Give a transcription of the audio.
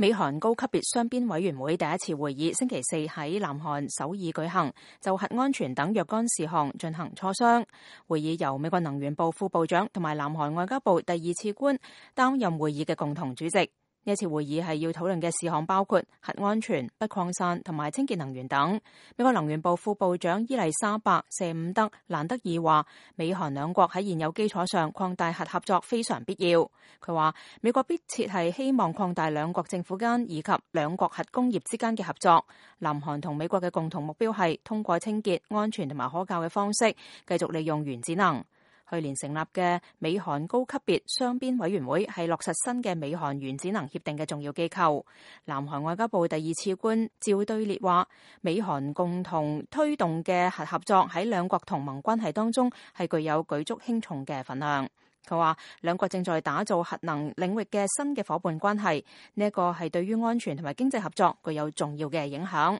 美韓高級別雙邊委員會第一次會議星期四喺南韓首爾舉行，就核安全等若干事項進行磋商。會議由美國能源部副部長同埋南韓外交部第二次官擔任會議嘅共同主席。呢次會議係要討論嘅事項包括核安全、不擴散同埋清潔能源等。美國能源部副部長伊麗莎白·謝伍德·蘭德爾話，美韓兩國喺現有基礎上擴大核合作非常必要。佢話，美國迫切係希望擴大兩國政府間以及兩國核工業之間嘅合作。南韓同美國嘅共同目標係通過清潔、安全同埋可靠嘅方式，繼續利用原子能。去年成立嘅美韓高級別雙邊委員會係落實新嘅美韓原子能協定嘅重要機構。南韓外交部第二次官趙對列話，美韓共同推動嘅核合作喺兩國同盟關係當中係具有舉足輕重嘅份量。佢話，兩國正在打造核能領域嘅新嘅夥伴關係，呢一個係對於安全同埋經濟合作具有重要嘅影響。